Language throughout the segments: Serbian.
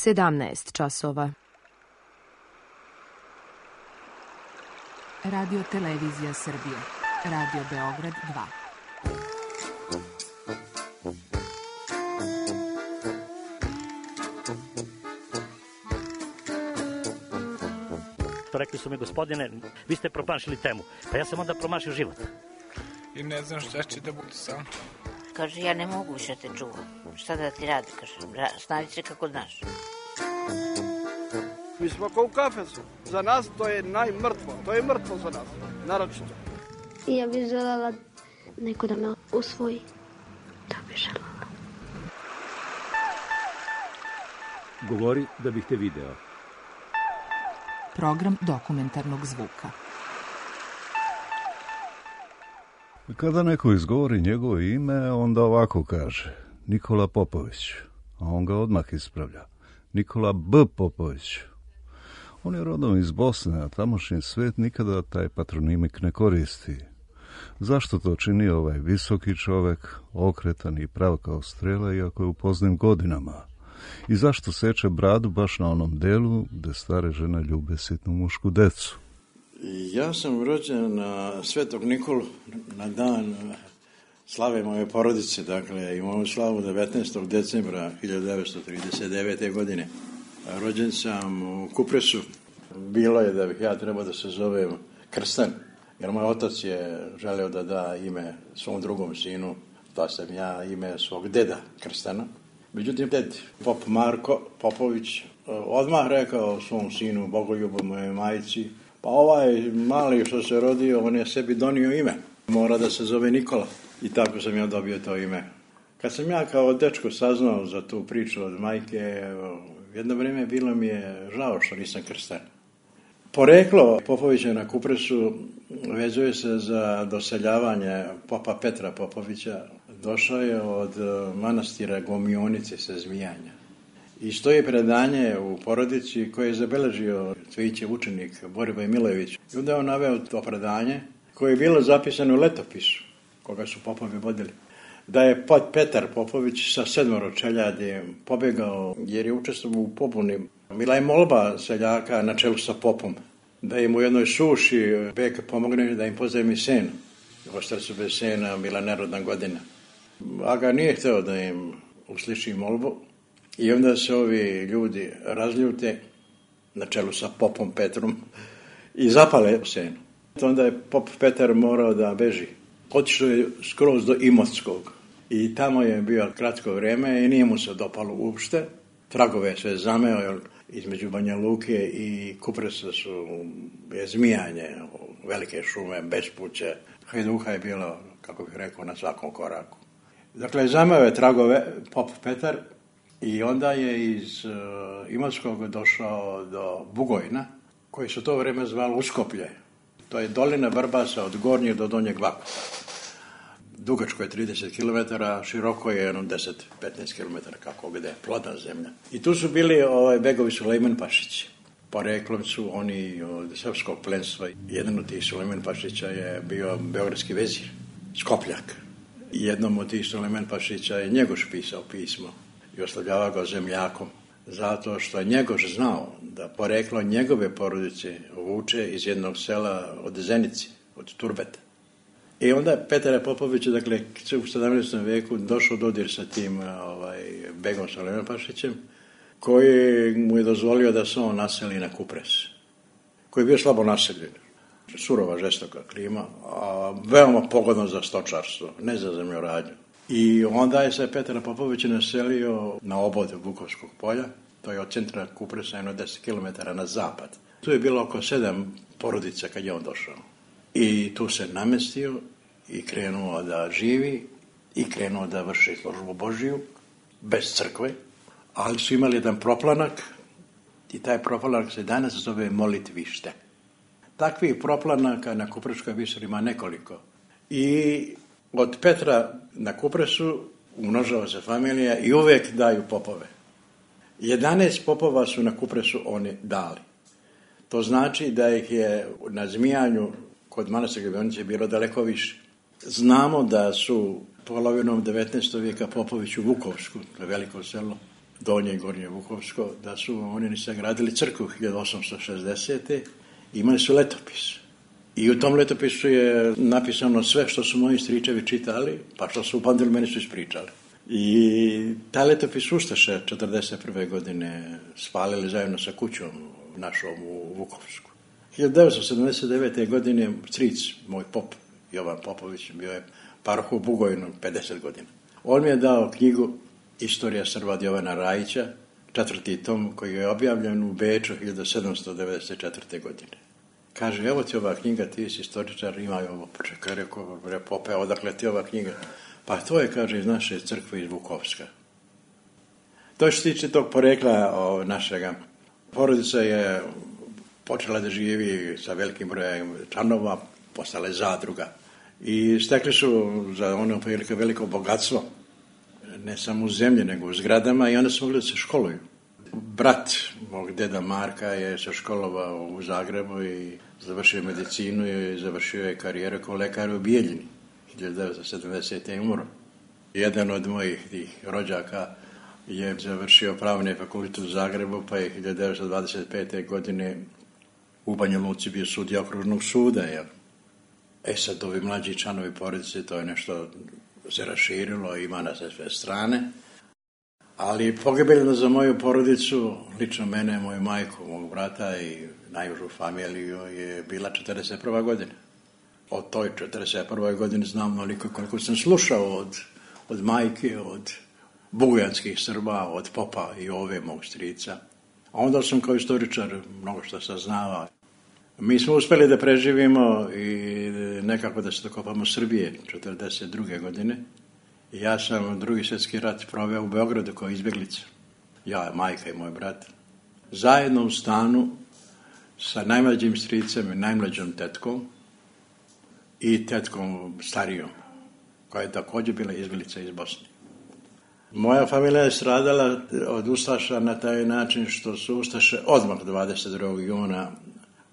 17 časova. Radio Televizija Srbije. Radio Beograd 2. Rekli su mi, gospodine, vi ste promašili temu. Pa ja sam onda promašio život. I ne znam šta će da bude sam. Kaže, ja ne mogu više te čuvam. Šta da ti radi, kaže, snavi se kako znaš. Mi smo kao u kafesu. Za nas to je najmrtvo. To je mrtvo za nas, naročito. Ja bih želela neko da me usvoji. To bih želela. Govori da bih te video. Program dokumentarnog zvuka. Kada neko izgovori njegovo ime, onda ovako kaže: Nikola Popović. A on ga odmah ispravlja: Nikola B. Popović. On je rodom iz Bosne, a tamošnji svet nikada taj patronimik ne koristi. Zašto to čini ovaj visoki čovek, okretan i prav kao strela, iako je u poznim godinama? I zašto seče bradu baš na onom delu gde stare žene ljube sitnu mušku decu? Ja sam rođen na Svetog Nikolu, na dan slave moje porodice, dakle imamo slavu 19. decembra 1939. godine. Rođen sam u Kupresu. Bilo je da bih ja trebao da se zovem Krstan, jer moj otac je želeo da da ime svom drugom sinu, da sam ja ime svog deda Krstana. Međutim, ded Pop Marko Popović odmah rekao svom sinu, Bogoljubu, moje majici: pa ovaj mali što se rodio, on je sebi donio ime. Mora da se zove Nikola. I tako sam ja dobio to ime. Kad sam ja kao dečko saznao za tu priču od majke, jedno vrijeme bilo mi je žao što nisam krstan. Poreklo Popovića na Kupresu vezuje se za doseljavanje popa Petra Popovića. Došao je od manastira Gomionice sa Zmijanja. I stoji predanje u porodici koje je zabeležio Cvijićev učenik Boriboj Milojević. I onda je on naveo to predanje koje je bilo zapisano u letopisu koga su popovi vodili. Da je Petar Popović sa 7 čeljadi pobegao jer je učestvovao u pobuni. Bila je molba seljaka na čelu sa popom da im u jednoj suši bek pomogne da im pozajmi sen. Ostali su bez sena, bila nerodna godina. Aga nije hteo da im usliši molbu i onda se ovi ljudi razljute na čelu sa popom Petrom i zapale senu. Onda je pop Petar morao da beži. Otišao je skroz do Imotskog i tamo je bio kratko vreme i nije mu se dopalo uopšte. Tragove se zameo, jer između Banja Luke i Kupresa su Zmijanje, velike šume, bespuće. Hajduka je bilo, kako bih rekao, na svakom koraku. Dakle, zameo je tragove pop Petar i onda je iz Imotskog došao do Bugojna, koji su to vreme zvali Uskoplje. To je dolina Vrbasa od Gornjeg do Donjeg Vakupa. Dugačko je 30 km, široko je 10-15 km, kako gde, plodna zemlja. I tu su bili begovi Sulejman Pašići. Poreklom su oni od srpskog plenstva. Jedan od tih Sulejman Pašića je bio beogradski vezir, Skopljak. Jednom od tih Sulejman Pašića je Njegoš pisao pismo i oslovljava ga zemljakom, zato što je Njegoš znao da poreklo njegove porodice vuče iz jednog sela od Zenice, od Turbeta. I onda Petar Popović, dakle, u 17. veku došao dodir sa tim begom Sulejman Pašićem, koji mu je dozvolio da se on naseli na Kupres, koji je bio slabo naseljen. Surova, žestoka klima, a veoma pogodno za stočarstvo, ne za zemljoradnju. I onda je se Petar Popović naselio na obode Vukovskog polja, to je od centra Kupresa jedno 10 km na zapad. Tu je bilo oko 7 porodica kad je on došao. I tu se namestio i krenuo da živi i krenuo da vrši službu Božiju, bez crkve, ali su imali jedan proplanak i taj proplanak se danas zove molitvište. Takvih proplanaka na Kupreškoj viseli ima nekoliko. I od Petra na Kupresu umnožava se familija i uvek daju popove. 11 popova su na Kupresu oni dali. To znači da ih je na Zmijanju kod manastira Gomionice bilo daleko više. Znamo da su polovinom 19. vijeka Popović u Vukovsku, to je veliko selo, Donje i Gornje Vukovsko, da su oni sagradili crkvu 1860. Imali su letopis. I u tom letopisu je napisano sve što su moji stričevi čitali, pa što su upamtili, meni su ispričali. I taj letopis Ustaše 1941. godine spalili zajedno sa kućom našom u Vukovsku. 1979. godine stric, moj pop, Jovan Popović, bio je paroh u Bugojnu 50 godina. On mi je dao knjigu Istorija Srba od Jovana Rajića, 4. tom, koji je objavljen u Beču 1794. godine. Kaže, evo ti ova knjiga, ti si istoričar, ima je ovo. Čekaj, rekao, Pope, odakle ti ova knjiga? Pa to je, kaže, iz naše crkve iz Vukovska. To što se tiče tog porekla našega. Porodica je počela da živi sa velikim brojem članova, postale zadruga. I stekli su za ono veliko bogatstvo, ne samo u zemlji, nego u zgradama, i onda su mogli da se školuju. Brat mog deda Marka je se školovao u Zagrebu i završio medicinu i završio je karijeru kao lekar u Bijeljini. 1970. je umro. Jedan od mojih tih rođaka je završio pravni fakultet u Zagrebu, pa je 1925. godine u Banja Luci bio sudija okružnog suda. Jel? Sad ovi mlađi članovi porodice, to je nešto se raširilo, ima na sve strane. Ali pogibeljno za moju porodicu, lično mene, moju majku, mog brata i najužu familiju je bila 41. godina. Od toj 41. godine znam onoliko koliko sam slušao od majke, od bugojanskih Srba, od popa i ove mog strica. A onda sam kao istoričar mnogo što saznavao. Mi smo uspeli da preživimo i nekako da se dokopamo Srbije 42. godine. Ja sam Drugi svjetski rat proveo u Beogradu kao izbjeglica. Ja, majka i moj brat. Zajedno u stanu sa najmlađim stricem i najmlađom tetkom i tetkom starijom, koja je također bila izbjeglica iz Bosne. Moja familija je stradala od Ustaša na taj način što su Ustaše odmah 22. juna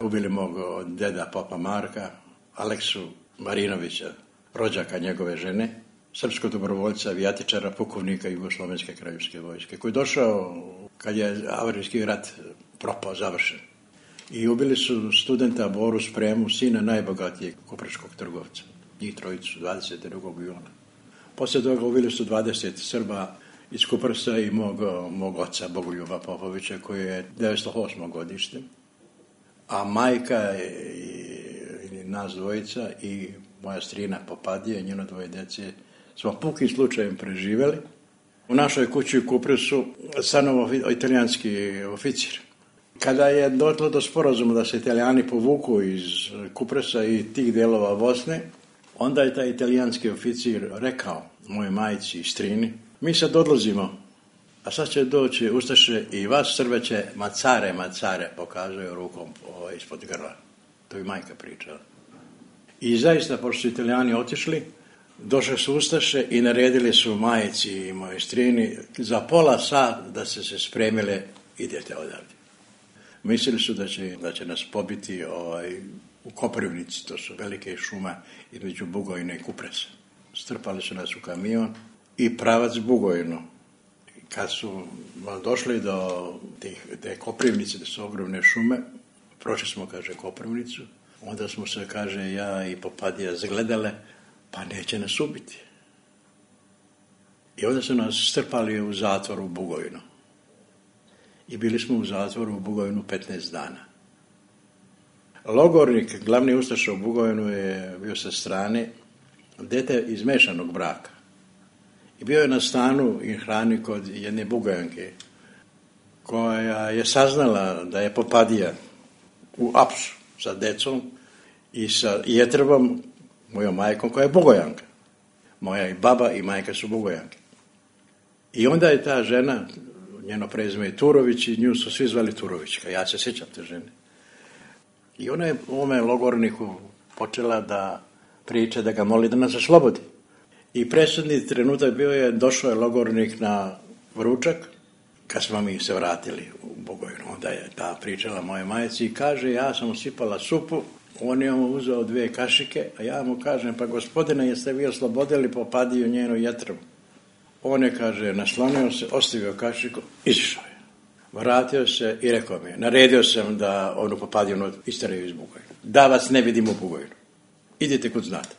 ubili mog deda Popa Marka, Aleksu Marinovića, rođaka njegove žene, srpskog dobrovoljca, avijatičara, pukovnika Jugoslovenske kraljevske vojske, koji je došao kad je Avrijski rat propao, završen. I ubili su studenta Boru Spremu, sina najbogatijeg kuprečkog trgovca. Njih trojicu, 22. juna. Poslije toga ubili su 20 Srba iz Kuprsa i mog oca Bogoljuba Popovića, koji je 908. godište. A majka i nas dvojica i moja strina Popadija i njeno dvoje djece smo pukim slučajem preživjeli. U našoj kući u Kupresu stanovao italijanski oficir. Kada je došlo do sporazuma da se Italijani povuku iz Kupresa i tih dijelova Bosne, onda je taj italijanski oficir rekao moje majci i strini, mi sad odlazimo, a sad će doći Ustaše i vas Srbe će macare, pokazuje rukom ispod grla. To je majka pričala. I zaista, pošto su Italijani otišli, došli su Ustaše i naredili su majici i moje strini za pola sata da se spremile, idete odavde. Mislili su da će nas pobiti u Koprivnici, to su velike šume između Bugojna i Kupresa. Strpali su nas u kamion i pravac Bugojno. Kad su došli do te Koprivnice, da su ogromne šume, prošli smo, kaže, Koprivnicu, onda smo se, kaže, ja i Popadija zagledale, pa neće nas ubiti. I onda su nas strpali u zatvor u Bugojnu. I bili smo u zatvoru u Bugojnu 15 dana. Logornik, glavni ustaša u Bugojnu, je bio sa strane dete iz mešanog braka. I bio je na stanu i hrani kod jedne Bugojanke, koja je saznala da je Popadija u apsu sa decom i sa Jetrbom, mojom majkom, koja je Bugojanka. Moja i baba i majka su Bugojanke. I onda je ta žena, njeno prezime je Turović, i nju su svi zvali Turovićka. Ja se sjećam te žene. I ona je u ovome logorniku počela da priča, da ga moli da nas oslobodi. I presudni trenutak bio je, došao je logornik na ručak, kad smo mi se vratili u Bugojnu. Onda je ta pričala moje majici i kaže, ja sam usipala supu, on je mu uzeo 2 kašike, a ja mu kažem, pa gospodine, jeste vi oslobodili Popadiju njenu Jetrbu? On je, kaže, naslonio se, ostavio kašiku, izišao je. Vratio se i rekao mi je, naredio sam da onu Popadinu isteraju iz Bugojna. Da vas ne vidim u Bugojnu. Idite kod znate.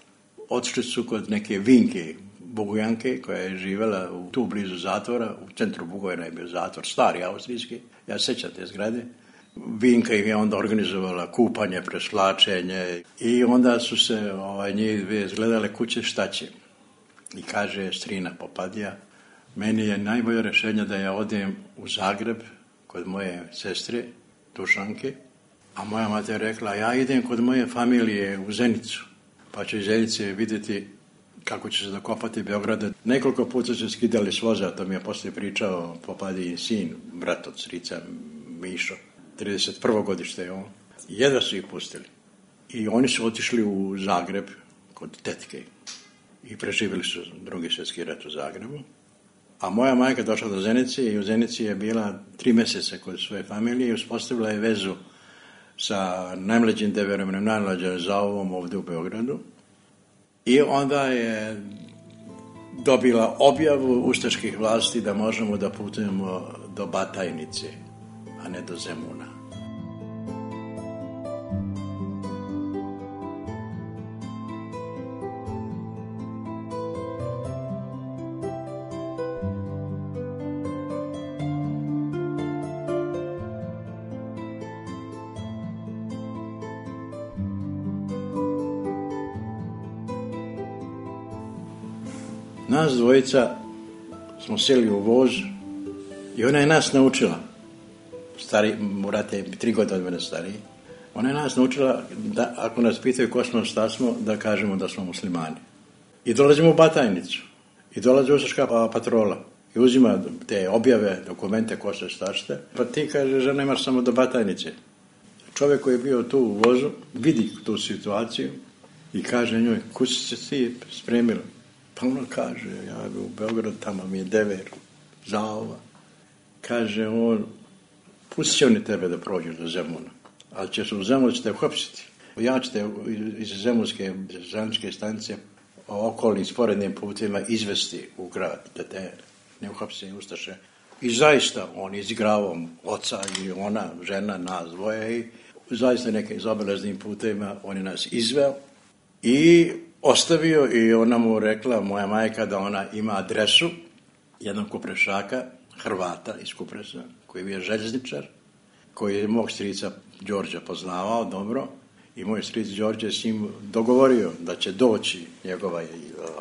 Otišli su kod neke Vinke Bugojanke koja je živjela tu blizu zatvora. U centru Bugojna je bio zatvor, stari austrijski. Ja sećam te zgrade. Vinka im je onda organizovala kupanje, preslačenje i onda su se njih dvije zgledale kuće šta će. I kaže strina Popadija, meni je najbolje rješenje da ja odem u Zagreb kod moje sestre Dušanke, a moja mati je rekla, ja idem kod moje familije u Zenicu, pa ću iz Zenice vidjeti kako će se dokopati Beograda. Nekoliko puta se skidali s voza, to mi je poslije pričao Popadijin sin, brat od strica Mišo, 31. godište je on. Jedva su ih pustili. I oni su otišli u Zagreb kod tetke i preživjeli su Drugi svjetski rat u Zagrebu. A moja majka došla do Zenice i u Zenici je bila 3 mjeseca kod svoje familije i uspostavila je vezu sa najmlađim Deverom, najmlađim Zaovom ovdje u Beogradu. I onda je dobila objavu ustaških vlasti da možemo da putujemo do Batajnice, a ne do Zemuna. Nas dvojica smo sjeli u voz i ona je nas naučila, stari, morate 3 godine od mene stariji, ona je nas naučila da ako nas pitaju ko smo, šta smo, da kažemo da smo muslimani. I dolazimo u Batajnicu i dolazi ustaška patrola i uzima te objave, dokumente, ko se stašte, pa ti kaže, žena imaš samo do Batajnice. Čovjek koji je bio tu u vozu vidi tu situaciju i kaže njoj, kud si se ti spremila? Pa ona kaže, ja u Beogradu, tamo mi je Dever, Zaova. Kaže on, pustit će oni tebe da prođeš do Zemuna, ali ćeš u Zemunu ćete uhapsiti. Ja ćete iz Zemunske železničke stanice okolnim sporednim putima izvesti u grad, da te ne uhapse ustaše. I zaista on izigravao oca i ona, žena, nas dvoje i zaista neke zaobilaznim putima on je nas izveo i ostavio i ona mu rekla, moja majka, da ona ima adresu jednog kuprešaka, Hrvata iz Kupresa, koji je bio željezničar, koji je mog strica Đorđa poznavao dobro i moj stric Đorđe je s njim dogovorio da će doći njegova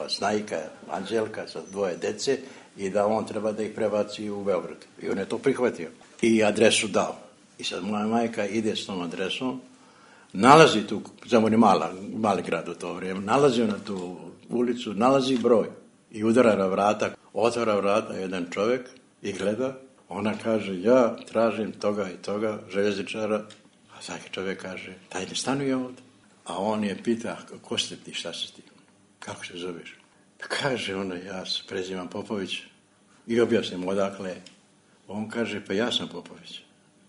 snajka Anđelka sa 2 dece i da on treba da ih prebaci u Beograd. I on je to prihvatio i adresu dao. I sad moja majka ide s tom adresom, nalazi tu, Zemun je mali grad u to vrijeme, nalazi na tu ulicu, nalazi broj i udara na vrata, otvara vrata jedan čovjek i gleda, ona kaže, ja tražim toga i toga željezničara, a svaki čovjek kaže, taj ne stanuje ovdje. A on je pita, ko ste ti, šta si ti, kako se zoveš? Pa kaže ona, ja se prezivam Popović i objasnim odakle. On kaže, pa ja sam Popović.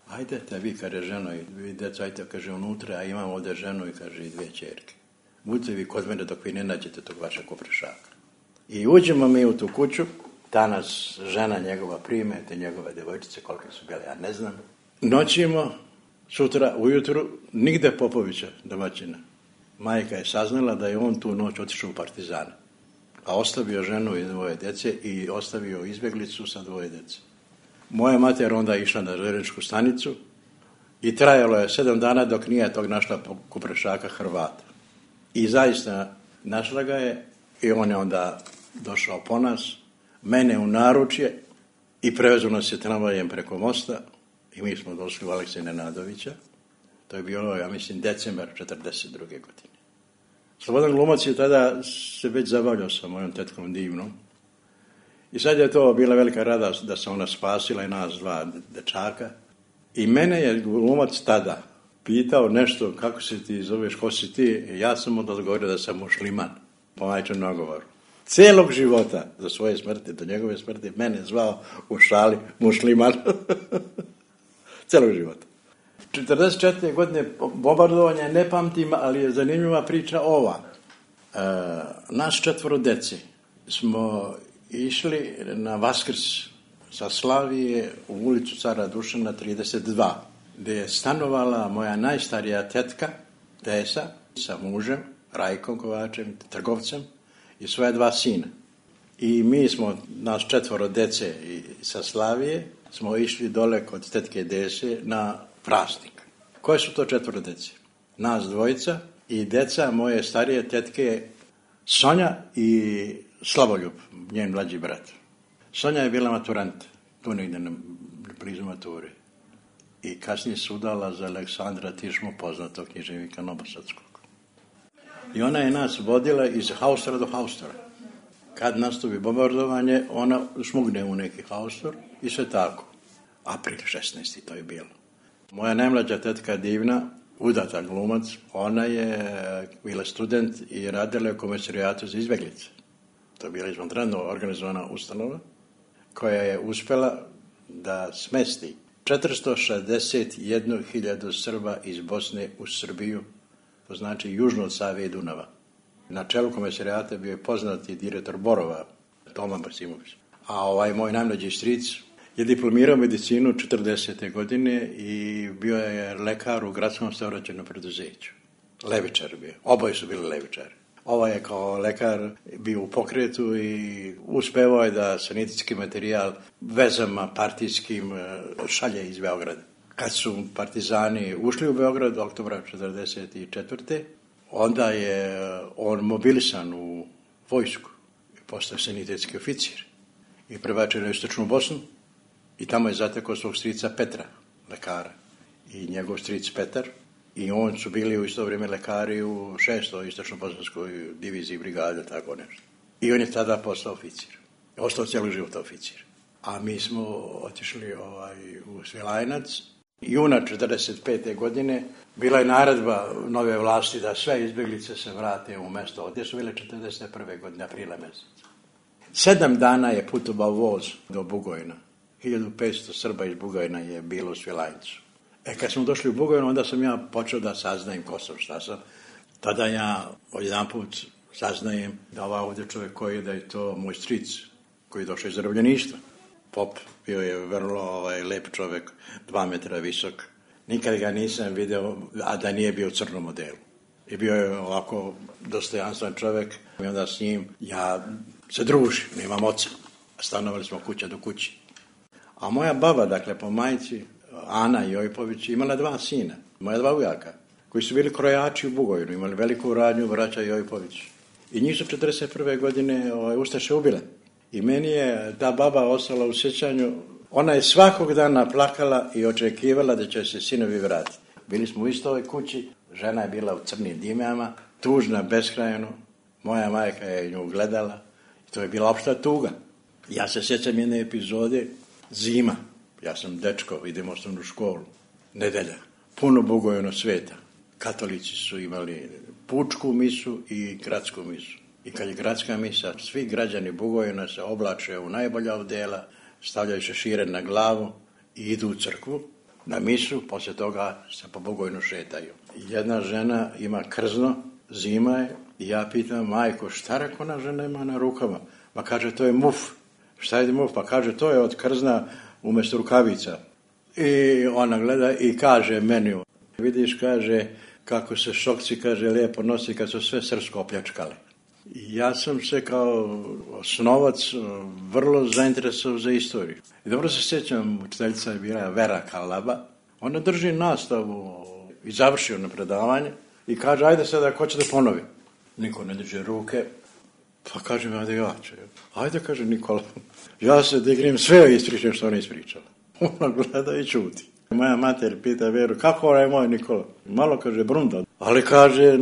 Ajde te vi, kaže ženo, i vi deca, ajte, kaže unutra, a imam ovdje ženu i kaže i 2 ćerke. Budite vi kod mene dok vi ne nađete tog vašeg kuprešaka. I uđemo mi u tu kuću, ta nas žena njegova prime, te njegove djevojčice, koliko su bile, ja ne znam. Noćimo, sutra, ujutru, nigde Popovića domaćina. Majka je saznala da je on tu noć otišao u Partizane, a ostavio ženu i 2 djece i ostavio izbjeglicu sa 2 djece. Moja mater onda išla na željezničku stanicu i trajalo je 7 dana dok nije tog našla kuprešaka Hrvata. I zaista našla ga je i on je onda došao po nas, mene u naručje i prevezu nas je tramvajem preko mosta i mi smo došli u Aleksija Nenadovića. To je bilo, ja mislim, decembar 1942. godine. Slobodan Glumac je tada se već zabavljao sa mojom tetkom Divnom. I sad je to bila velika radost da se ona spasila i nas 2 dečaka. I mene je Glumac tada pitao nešto, kako se ti zoveš, ko si ti? I ja sam odgovorio da sam musliman, po majčinom nagovoru. Cijelog života, do svoje smrti, do njegove smrti, mene zvao u šali musliman. Cijelog života. 44. godine bombardovanja ne pamtim, ali je zanimljiva priča ova. Nas 4 dece smo išli na Vaskrs sa Slavije u ulicu Cara Dušana 32, gdje je stanovala moja najstarija tetka, Tesa, sa mužem, Rajkom Kovačem, trgovcem, i svoja 2 sina. I mi smo, nas 4 dece sa Slavije, smo išli dole kod tetke Dese na praznik. Koje su to 4 dece? Nas 2 i deca moje starije tetke Sonja i Slavoljub, njen mlađi brat. Sonja je bila maturant, tu negdje blizu mature. I kasnije se udala za Aleksandra Tišmu, poznatog književnika Novosadskog. I ona je nas vodila iz haustora do haustora. Kad nastupi bombardovanje, ona šmugne u neki haustor i sve tako. April 16. to je bilo. Moja najmlađa tetka Divna, udata glumac, ona je bila student i radila u Komesarijatu za izbjeglice. To je bila izvanredno organizovana ustanova koja je uspjela da smesti 461.000 Srba iz Bosne u Srbiju, to znači južno od Save i Dunava. Na čelu Komesarijata bio je poznati direktor Borova, Toma Basimović. A moj najmlađi stric je diplomirao medicinu 40. godine i bio je lekar u gradskom saobraćajnom preduzeću. Levičar bio. Oboje su bili levičari. Ovaj je kao lekar bio u pokretu i uspevao je da sanitetski materijal vezama partijskim šalje iz Beograda. Kad su partizani ušli u Beograd oktobra 1944. onda je on mobilisan u vojsku i postao sanitetski oficir i prebačen u Istočnu Bosnu i tamo je zatekao svog strica Petra, lekara, i njegov stric Petar, i on su bili u isto vrijeme lekari u 6. Istočno-bosanskoj diviziji brigade, tako nešto. I on je tada postao oficir. Ostao cijeli život oficir. A mi smo otišli u Svilajnac. Juna 1945. godine bila je naredba nove vlasti da sve izbjeglice se vrate u mjesto. Gdje su bile 1941. godine, aprila mjeseca. 7 dana je putovao voz do Bugojna. 1500 Srba iz Bugojna je bilo u Svilajncu. Kad smo došli u Bugojnu, onda sam ja počeo da saznajem ko sam, šta sam. Tada ja odjedanput saznajem da ovdje čovjek koji je, da je to moj stric, koji je došao iz zarobljeništva. Pop, bio je vrlo lep čovjek, 2 metra visok. Nikad ga nisam vidio, a da nije bio u crnom modelu. I bio je ovako dostojanstven čovjek. I onda s njim ja se družim, nemam oca. Stanovali smo kuća do kući. A moja baba, dakle, po majci, Ana Jojpović, imala 2 sina, moja 2 ujaka, koji su bili krojači u Bugojnu, imali veliku radnju braća Jojpović. I njih su 1941. godine ustaše ubile. I meni je ta baba ostala u sjećanju. Ona je svakog dana plakala i očekivala da će se sinovi vratiti. Bili smo u istoj kući, žena je bila u crnim dimama, tužna beskrajno. Moja majka je nju gledala i to je bila opšta tuga. Ja se sjećam jedne epizode, zima. Ja sam dečko, idem u osnovnu školu, nedelja, puno Bugojno sveta. Katolici su imali pučku misu i gradsku misu. I kad je gradska misa, svi građani Bugojna se oblače u najbolja odela, stavljaju šešire na glavu i idu u crkvu na misu, poslije toga se po Bugojnu šetaju. Jedna žena ima krzno, zima je, i ja pitam, majko, šta rekona žena ima na rukama? Pa kaže, to je muf. Šta je muf? Pa kaže, to je od krzna umjesto rukavica. I ona gleda i kaže meni, vidiš, kaže, kako se šokci, kaže, lijepo nosi kad su sve srpsko opljačkali. Ja sam se kao osnovac vrlo zainteresovao za istoriju. I dobro se sjećam, učiteljica je bila Vera Kalaba. Ona drži nastavu i završio na predavanje i kaže, ajde sada, ko će da ponovi? Niko ne diže ruke. Pa kažem, ajde ja ću. Ajde, kaže Nikola. Ja se dignem, sve ispričam što ona ispričala. Ona gleda i čuti. Moja mater pita Veru, kako je moj Nikola? Malo, kaže, brunda. Ali kaže,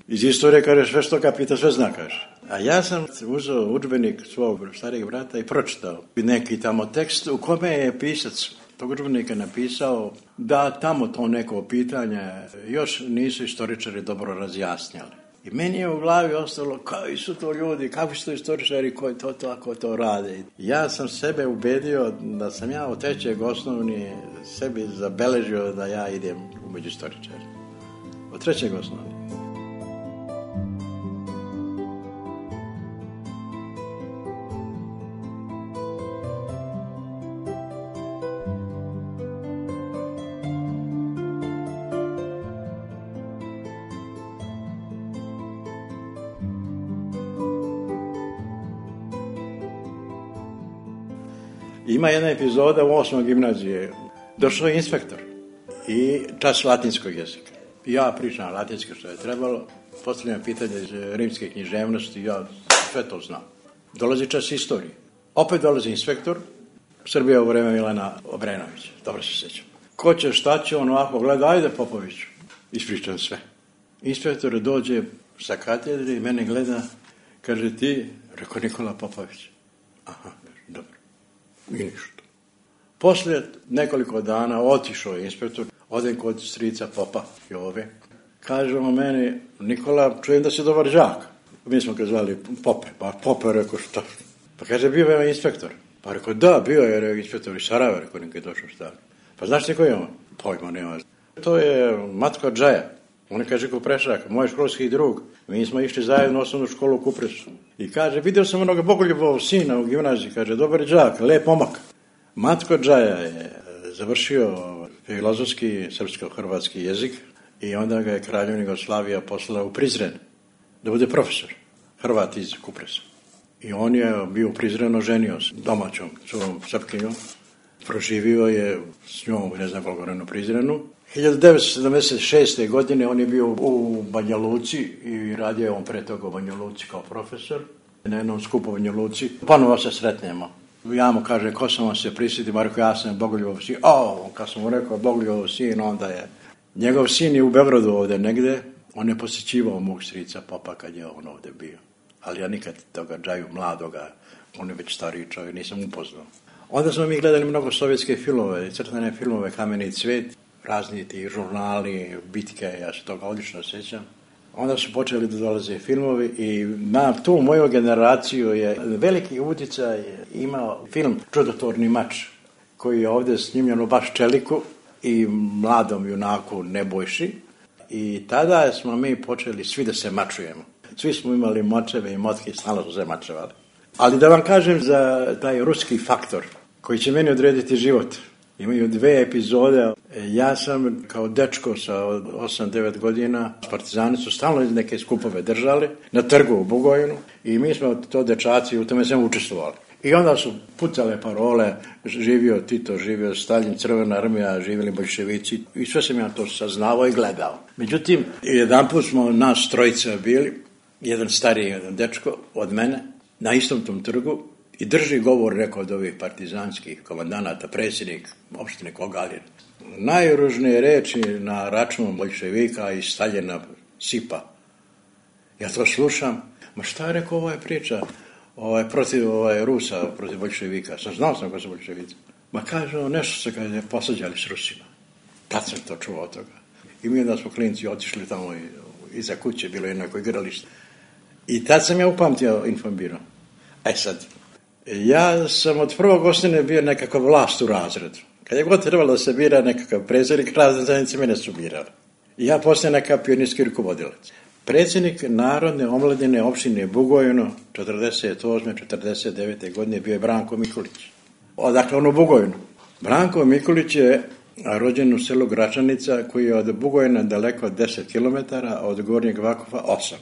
iz istorije, kaže, sve što ga pita, sve zna, kaže. A ja sam uzeo udžbenik svog starijeg brata i pročitao neki tamo tekst u kome je pisac tog udžbenika napisao da tamo to neko pitanje još nisu istoričari dobro razjasnjali. I meni je u glavi ostalo, koji su to ljudi, kakvi su to istoričari koji to tako to rade. Ja sam sebe ubedio da sam ja od 3. osnovni sebi zabeležio da ja idem među istoričari. Od 3. osnovni. Ima jedna epizoda u 8. gimnazije. Došao je inspektor i čas latinskog jezika. Ja pričam latinski što je trebalo, postavljam pitanje iz rimske književnosti, ja sve to znam. Dolazi čas istorije. Opet dolazi inspektor, Srbija u vreme Milana Obrenovića, dobro se sjećam. Ko će, šta će, on ovako gleda, ajde Popoviću. Ispričam sve. Inspektor dođe sa katedre i mene gleda, kaže ti, rekao Nikola Popović. Aha, dobro. I ništa. Poslije nekoliko dana otišao je inspektor, odem kod strica Popa Jove. Kaže on meni, Nikola, čujem da si dobar đak. Mi smo ga zvali Pope, pa Pope rekao šta? Pa kaže, bio je inspektor. Pa rekao, da, bio je inspektor iz Sarajeva, rekao, nekaj došao šta. Pa znaš ti koji je on? Pojma nema. To je Matko Džaja. On je, kaže, Kuprešak, moj školski drug. Mi smo išli zajedno u osnovnu školu u Kupresu. I kaže, vidio sam onoga Bogoljubovog sina u gimnaziji, kaže, dobar đak, lep pomak. Matko Džaja je završio filozofski srpsko-hrvatski jezik i onda ga je kraljevina Jugoslavija poslala u Prizren da bude profesor, Hrvat iz Kupresa. I on je bio u Prizrenu, ženio s domaćom curom Srpkinjom, proživio je s njom, ne znam koliko vremena u Prizrenu. 1976. godine on je bio u Banja Luci i radio je on pre toga u Banja Luci kao profesor. Na jednom skupu u Banja Luci, ponovo se sretnemo. Ja mu kaže, ko sam vam se prisjetio, Marko, ja sam Bogoljubov sin. Kad sam mu rekao Bogoljubov sin, onda je... Njegov sin je u Beogradu ovdje negde, on je posjećivao mog strica Popa kad je on ovdje bio. Ali ja nikad toga Džaju mladoga, on je već stariji čovjek, nisam upoznao. Onda smo mi gledali mnogo sovjetske filmove, crtane filmove, Kameni cvet, razni ti žurnali, bitke, ja se toga odlično sjećam. Onda su počeli da dolaze filmovi i na tu moju generaciju je veliki utjecaj imao film Čudotvorni mač, koji je ovdje snimljen u baš Čeliku i mladom junaku Nebojši. I tada smo mi počeli svi da se mačujemo. Svi smo imali močeve i motke, stalno su se mačevali. Ali da vam kažem za taj ruski faktor koji će meni odrediti život. Imaju 2 epizode. Ja sam kao dečko sa 8-9 godina, partizani su stalno neke skupove držali na trgu u Bugojnu i mi smo to dečaci u tome sam učestvovali. I onda su pucale parole, živio Tito, živio Stalin, Crvena armija, živjeli boljševici i sve sam ja to saznavao i gledao. Međutim, jedanput smo nas trojica bili, jedan stariji, jedan dečko od mene, na istom tom trgu i drži govor neko od ovih partizanskih komandanata, predsjednik opštine Kogalin. Najružnije reči na račun boljševika i Staljina sipa. Ja to slušam, ma šta je rekao ova priča protiv Rusa, protiv boljševika? Znao sam ko su boljševici. Ma kaže, nešto se kada je posađali s Rusima. Tad sam to čuo od toga. I mi onda smo klinci otišli tamo iza kuće, bilo jednako igralište. I tad sam ja upamtio informbiro. Sad, ja sam od prvog osnovne bio nekakav vlast u razredu. Kad je god trebalo da se bira nekakav predsjednik, razne zajednice mene su birali. I ja postajem nekakav pionirski rukovodilac. Predsjednik Narodne omladine opštine Bugojno 48-49. godine bio je Branko Mikulić. Odakle on u Bugojnu. Branko Mikulić je rođen u selu Gračanica koji je od Bugojna daleko 10 km, a od Gornjeg Vakufa 8.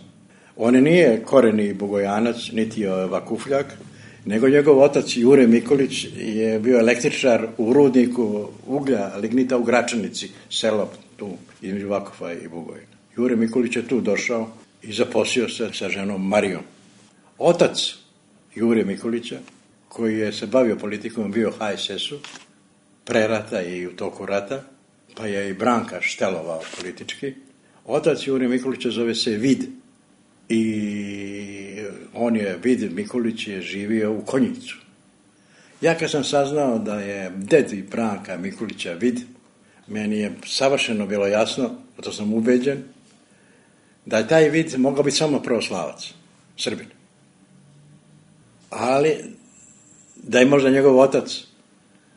On nije koreni Bugojanac, niti je Vakufljak, nego njegov otac Jure Mikulić je bio električar u rudniku uglja, lignita u Gračanici, selo tu između Vakufa i Bugojna. Jure Mikulić je tu došao i zaposlio se sa ženom Marijom. Otac Jure Mikulića, koji je se bavio politikom, bio HSS-u, pre rata i u toku rata, pa je i Branka štelovao politički. Otac Jure Mikulića zove se Vid. I on je, Vid Mikulić, je živio u Konjicu. Ja kad sam saznao da je dedi Branka Mikulića Vid, meni je savršeno bilo jasno, to sam ubeđen, da je taj Vid mogao biti samo pravoslavac, Srbin. Ali da je možda njegov otac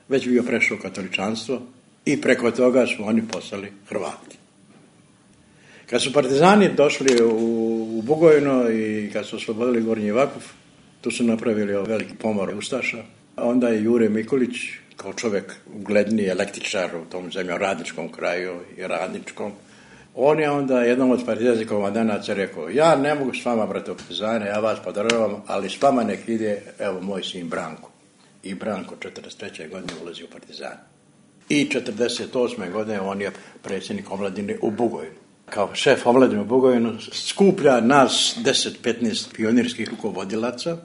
već bio prešao u katoličanstvo i preko toga smo oni postali Hrvati. Kad su partizani došli u Bugojno i kad su oslobodili Gornji Vakuf, tu su napravili veliki pomor ustaša. Onda je Jure Mikulić, kao čovjek ugledniji električar u tom zemljoradničkom kraju i radničkom, on je onda jednom od partizanskih komandanaca rekao, ja ne mogu s vama, brate partizane, ja vas podržavam, ali s vama nek ide, evo, moj sin Branko. i Branko 43. godine ulazi u Partizan. I 48. godine on je predsjednik omladine u Bugojnu. Kao šef omladine u Bugojnu skuplja nas 10-15 pionirskih rukovodilaca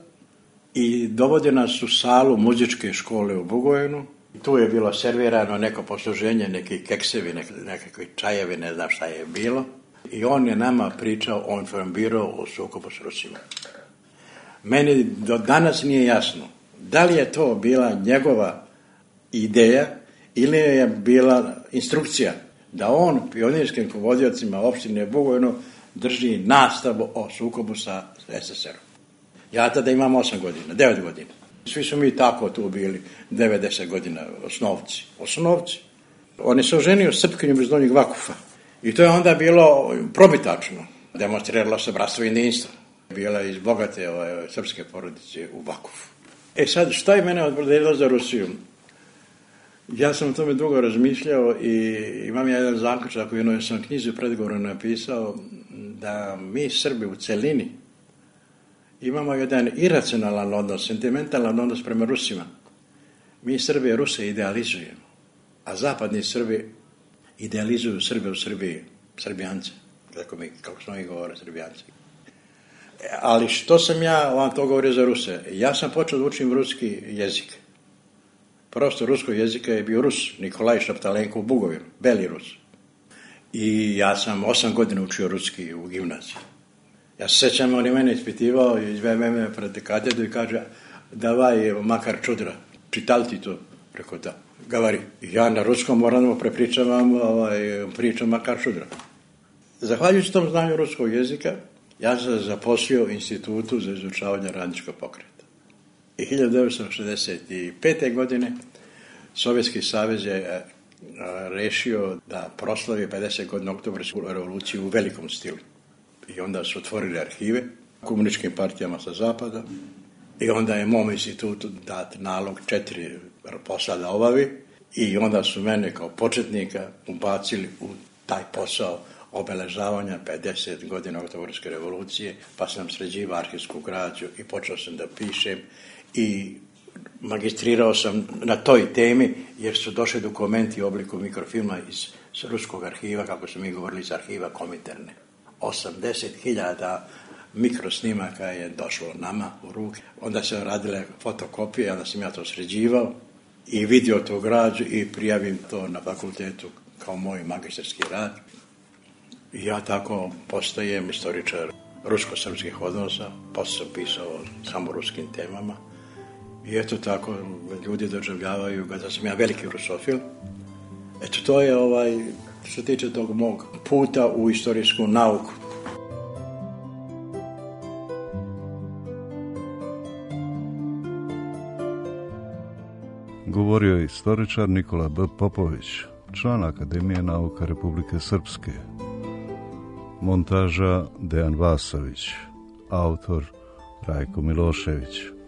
i dovodi nas u salu muzičke škole u Bugojnu. Tu je bilo servirano neko posluženje, neki keksevi, nekakvi čajevi, ne znam šta je bilo. I on je nama pričao, on informirao o sukobu s Rusima. Meni do danas nije jasno da li je to bila njegova ideja ili je bila instrukcija da on pionirskim rukovodiocima opštine Bugojno drži nastavu o sukobu sa SSR-om. Ja tada imam 8 godina, 9 godina. Svi su mi tako tu bili 90 godina, osnovci. Oni se oženio s Srpkinjom iz Donjeg Vakufa. I to je onda bilo probitačno. Demonstriralo se bratstvo i jedinstvo. Bila je iz bogate srpske porodice u Vakufu. E sad, šta je mene odbrodilo za Rusiju? Ja sam o tome dugo razmišljao i imam jedan zaključak u jednoj sam knjizi u predgovoru napisao da mi Srbi u celini imamo jedan iracionalan odnos, sentimentalan odnos prema Rusima. Mi Srbi Ruse idealizujemo, a zapadni Srbi idealizuju Srbe u Srbiji, Srbijance, kako smo ih govore, Srbijance. Ali što sam ja vam to govorio za Ruse? Ja sam počeo da učim ruski jezik. Prosto ruskog jezika je bio Rus, Nikolaj Šaptalenko u Bugovinu, beli Rus. I ja sam 8 godina učio ruski u gimnaziji. Ja se sjećam, on je mene ispitivao i izveme me pred katedru i kaže, davaj makar čudra, čitali ti to? Rekao da, gavari. I ja na ruskom moram da prepričavam pričam makar čudra. Zahvaljujući tom znanju ruskog jezika, ja sam zaposlio u Institutu za izučavanje radničkog pokreta. I 1965. godine Sovjetski savez je rešio da proslavi 50 godina Oktobarsku revoluciju u velikom stilu. I onda su otvorili arhive komunističkim partijama sa zapada i onda je mom institutu dat nalog 4 posla da obavi i onda su mene kao početnika ubacili u taj posao obeležavanja 50 godina Oktobarske revolucije, pa sam sređivao arhivsku građu i počeo sam da pišem i magistrirao sam na toj temi jer su došli dokumenti u obliku mikrofilma iz ruskog arhiva, kako su mi govorili, iz arhiva Kominterne. 80.000 mikrosnimaka je došlo nama u ruke. Onda se radile fotokopije, onda sam ja to sređivao i vidio tu građu i prijavim to na fakultetu kao moj magistarski rad. I ja tako postajem istoričar rusko-srpskih odnosa, posle sam pisao samo ruskim temama. I eto tako, ljudi doživljavaju ga da sam ja veliki rusofil. Eto, to je što se tiče tog mog puta u istorijsku nauku. Govorio je istoričar Nikola B. Popović, član Akademije nauka Republike Srpske. Montaža Dejan Vasović, autor Rajko Milošević.